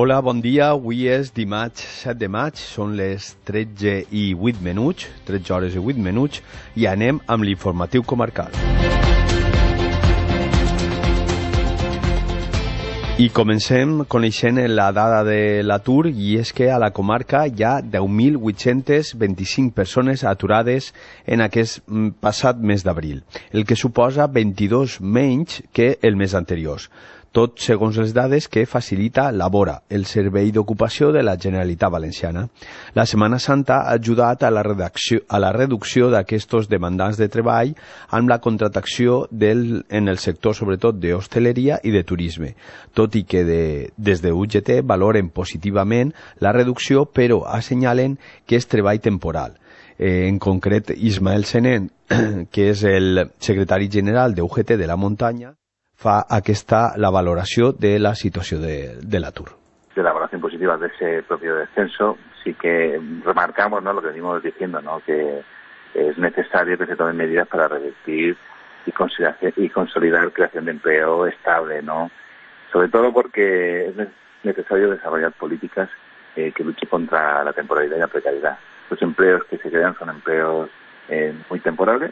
Hola, bon dia. Avui és dimarts 7 de maig, són les 13:08, 13 hores i 8 minuts, i anem amb l'informatiu comarcal. I comencem coneixent la dada de l'atur, i és que a la comarca hi ha 10.825 persones aturades en aquest passat mes d'abril, el que suposa 22 menys que el mes anterior. Tot segons les dades que facilita Labora, el Servei d'Ocupació de la Generalitat Valenciana. La Setmana Santa ha ajudat a la reducció d'aquests demandants de treball amb la contractació en el sector, sobretot, d'hostaleria i de turisme, tot i que des de UGT valoren positivament la reducció, però assenyalen que és treball temporal. En concret, Ismael Senén, que és el secretari general de UGT de la Muntanya, fa la valoración de la situación de l'atur. De la evaluación positiva de ese propio descenso, sí que remarcamos, ¿no?, lo que venimos diciendo, ¿no?, que es necesario que se tomen medidas para revertir y consolidar creación de empleo estable, ¿no?, sobre todo porque es necesario desarrollar políticas que luchen contra la temporalidad y la precariedad. Los empleos que se crean son empleos muy temporales.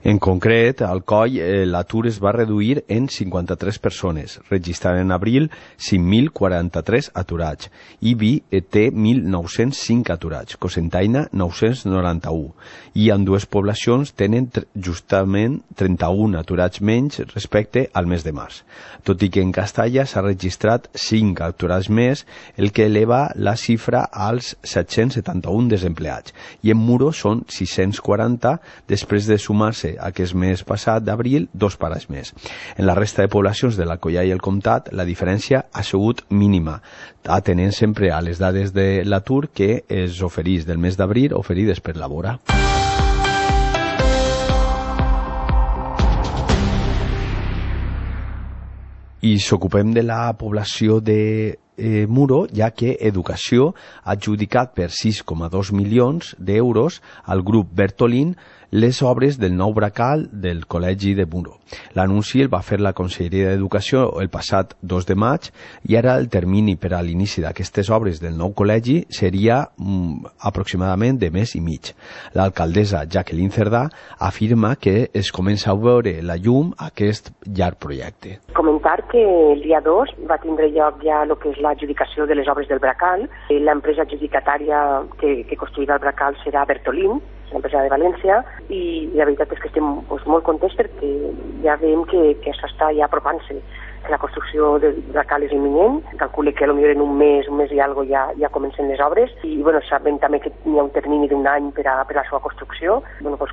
En concret, al Coll l'atur es va reduir en 53 persones, registrant en abril 5.043 aturats. Ibi té 1.905 aturats, Cocentaina 991, i en dues poblacions tenen justament 31 aturats menys respecte al mes de març. Tot i que en Castalla s'ha registrat 5 aturats més, el que eleva la xifra als 771 desempleats, i en Muro són 640 després de sumar-se aquest mes passat d'abril 2 pares més. En la resta de poblacions de l'Alcoià i el Comtat la diferència ha sigut mínima, atenent sempre a les dades de l'atur que es oferís del mes d'abril oferides per Labora. I s'ocupem de la població de Muro, ja que Educació ha adjudicat per 6,2 milions d'euros al grup Bertolín les obres del nou bracal del Col·legi de Muro. L'anunci el va fer la Conselleria d'Educació el passat 2 de maig i ara el termini per a l'inici d'aquestes obres del nou col·legi seria aproximadament de mes i mig. L'alcaldessa Jacqueline Cerdà afirma que es comença a veure la llum a aquest llarg projecte. Comentar que el dia 2 va tindre lloc ja el que és l'adjudicació de les obres del bracal. L'empresa adjudicatària que construirà el bracal serà Bertolín, l'empresa de València, i la veritat és que estem molt contents perquè ja veiem que això està ja apropant-se. La construcció del bracal és imminent, calcule que potser en un mes i algo ja comencen les obres, i sabem també que hi ha un termini d'un any per a la seva construcció.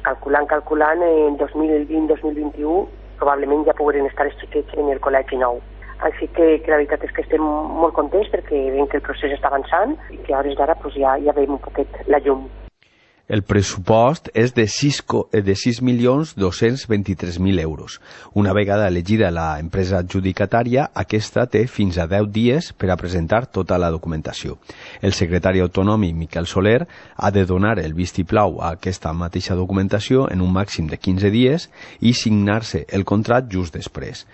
Calculant, en 2020-2021 probablement ja podrien estar els xiquets en el col·legi nou. Així que la veritat és que estem molt contents perquè veiem que el procés està avançant i que a hores d'ara ja veiem un poquet la llum. El pressupost és de 6.223.000 euros. Una vegada elegida l'empresa adjudicatària, aquesta té fins a 10 dies per a presentar tota la documentació. El secretari autonòmic Miquel Soler ha de donar el vistiplau a aquesta mateixa documentació en un màxim de 15 dies i signar-se el contracte just després.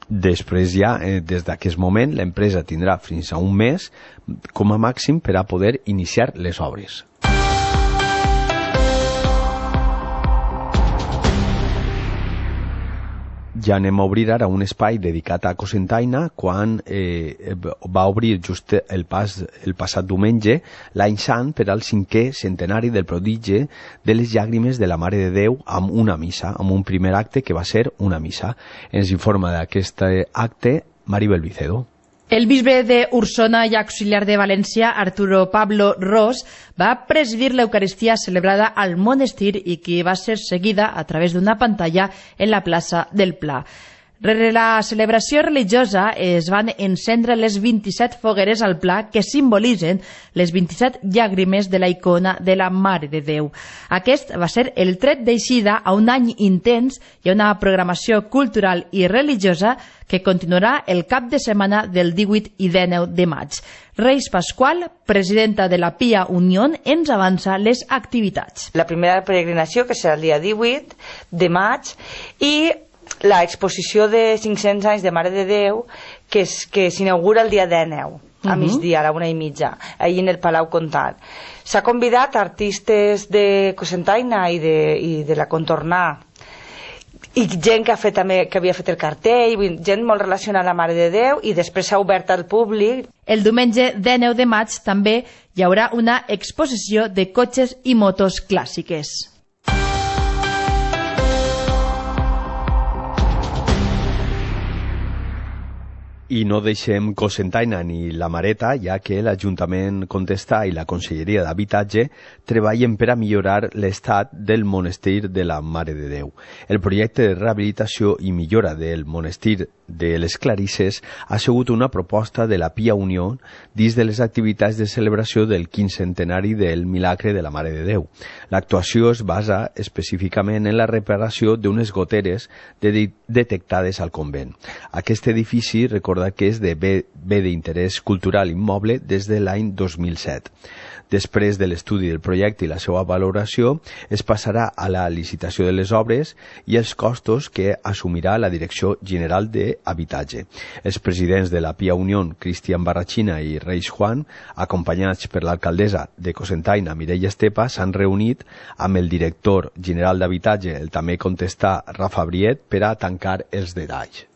Després ja, des d'aquest moment, l'empresa tindrà fins a un mes com a màxim per a poder iniciar les obres. Ja anem a obrir ara un espai dedicat a Cocentaina quan va obrir just el passat diumenge l'any sant per al 5è centenari del prodigi de les llàgrimes de la Mare de Déu amb una missa, amb un primer acte que va ser una missa. Ens informa d'aquest acte Maribel Vicedo. El bisbe d'Ursona i auxiliar de València, Arturo Pablo Ros, va presidir l'Eucaristia celebrada al monestir i que va ser seguida a través d'una pantalla en la plaça del Pla. Rere la celebració religiosa es van encendre les 27 fogueres al Pla que simbolitzen les 27 llàgrimes de la icona de la Mare de Déu. Aquest va ser el tret d'eixida a un any intens i a una programació cultural i religiosa que continuarà el cap de setmana del 18 i 19 de maig. Reis Pasqual, presidenta de la Pia Unión, ens avança les activitats. La primera peregrinació, que serà el dia 18 de maig, i l'exposició de 500 anys de Mare de Déu que s'inaugura el dia 19. a migdia, a la 1:30, ahir en el Palau Comtat. S'ha convidat artistes de Cocentaina i de la Contornà, i gent que havia fet el cartell, gent molt relacionada a la Mare de Déu, i després s'ha obert al públic. El diumenge 19 de maig també hi haurà una exposició de cotxes i motos clàssiques. I no deixem Cocentaina ni la Mareta, ja que l'Ajuntament contesta i la Conselleria d'Habitatge treballen per a millorar l'estat del monestir de la Mare de Déu. El projecte de rehabilitació i millora del monestir de les Clarisses ha sigut una proposta de la Pia Unió dins de les activitats de celebració del 15 centenari del Milagre de la Mare de Déu. L'actuació es basa específicament en la reparació d'unes goteres detectades al convent. Aquest edifici, recordar que és de bé d'interès cultural immoble des de l'any 2007. Després de l'estudi del projecte i la seva valoració, es passarà a la licitació de les obres i els costos que assumirà la Direcció General d'Habitatge. Els presidents de la Pia Unió, Cristian Barrachina i Reis Juan, acompanyats per l'alcaldessa de Cocentaina, Mireia Estepa, s'han reunit amb el director general d'Habitatge, el també contestà Rafa Briet, per a tancar els detalls.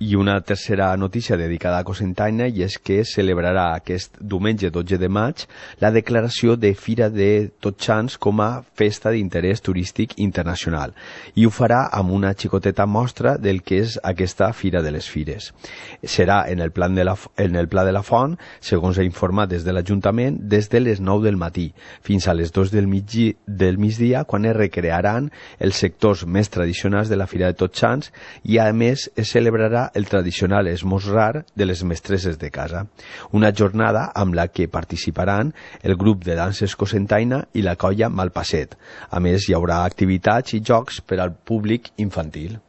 I una tercera notícia dedicada a Cocentaina, i és que es celebrarà aquest diumenge 12 de maig la declaració de Fira de Tots Sants com a festa d'interès turístic internacional, i ho farà amb una xicoteta mostra del que és aquesta Fira de les Fires. Serà en el Pla de la Font, segons ha informat des de l'Ajuntament, des de les 9 del matí fins a les 2 del migdia, quan es recrearan els sectors més tradicionals de la Fira de Tots Sants, i a més es celebrarà el tradicional esmorzar de les mestresses de casa, una jornada amb la que participaran el grup de danses Cocentaina i la colla Malpasset. A més, hi haurà activitats i jocs per al públic infantil.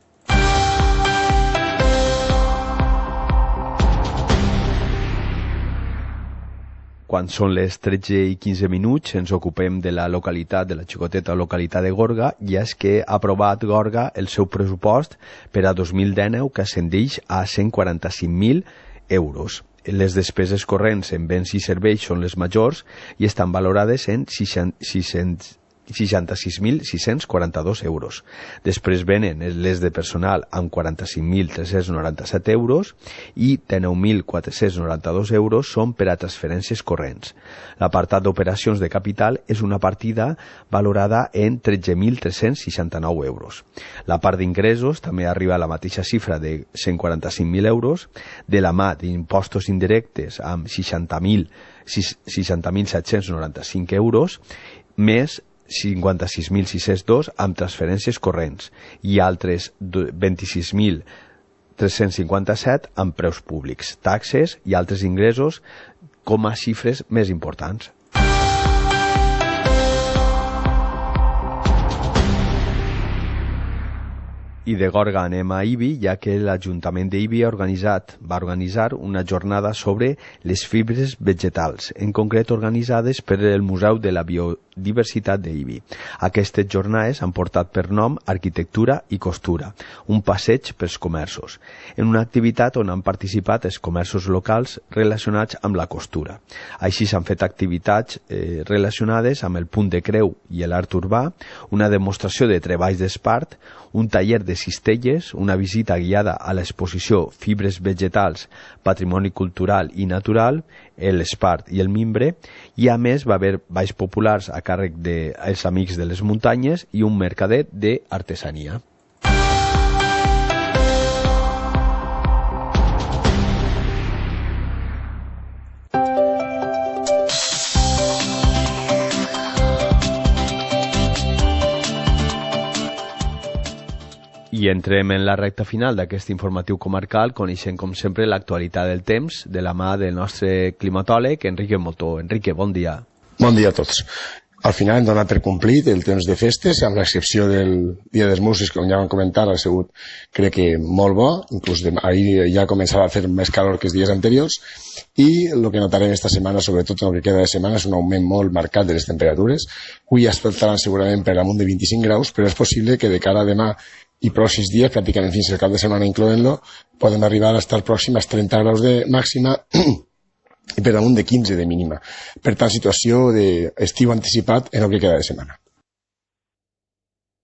Quan són les 13:15, ens ocupem de la localitat, de la xicoteta localitat de Gorga, i és que ha aprovat Gorga el seu pressupost per a 2019, que ascendeix a 145.000 euros. Les despeses corrents en béns i serveis són les majors i estan valorades en 66.642 euros. Després venen les de personal amb 45.397 euros i de 9.492 euros són per a transferències corrents. L'apartat d'operacions de capital és una partida valorada en 13.369 euros. La part d'ingressos també arriba a la mateixa xifra de 145.000 euros, de la mà d'impostos indirectes amb 60.795 euros, més 56.602 amb transferències corrents i altres 26.357 amb preus públics, taxes i altres ingressos com a xifres més importants. I de Gorga anem a Ibi, ja que l'Ajuntament d'Ibi va organitzar una jornada sobre les fibres vegetals, en concret organitzades per el Museu de la Biodiversitat d'Ibi. Aquestes jornades han portat per nom Arquitectura i Costura, un passeig pels comerços, en una activitat on han participat els comerços locals relacionats amb la costura. Així s'han fet activitats relacionades amb el punt de creu i l'art urbà, una demostració de treballs d'espart, un taller de cistelles, una visita guiada a l'exposició Fibres Vegetals, Patrimoni Cultural i Natural, l'Espart i el Mimbre, i a més va haver balls populars a càrrec dels Amics de les Muntanyes i un mercadet d'artesania. I entrem en la recta final d'aquest informatiu comarcal, coneixent com sempre l'actualitat del temps de la mà del nostre climatòleg Enrique Motó. Enrique, bon dia. Bon dia a tots. Al final hem donat per complit el temps de festes, amb l'excepció del Dia dels Músics, que com ja vam comentar ha sigut, crec que molt bo, inclús ahir ja començava a fer més calor que els dies anteriors, i el que notarem esta setmana, sobretot en el que queda de setmana, és un augment molt marcat de les temperatures. Avui es estaran segurament per damunt de 25 graus, però és possible que de cara a demà i pròxims dies, pràcticament fins al cap de setmana incloent-lo, podem arribar a estar pròxim als 30 graus de màxima i per damunt de 15 de mínima. Per tant, situació d'estiu anticipat en el que queda de setmana.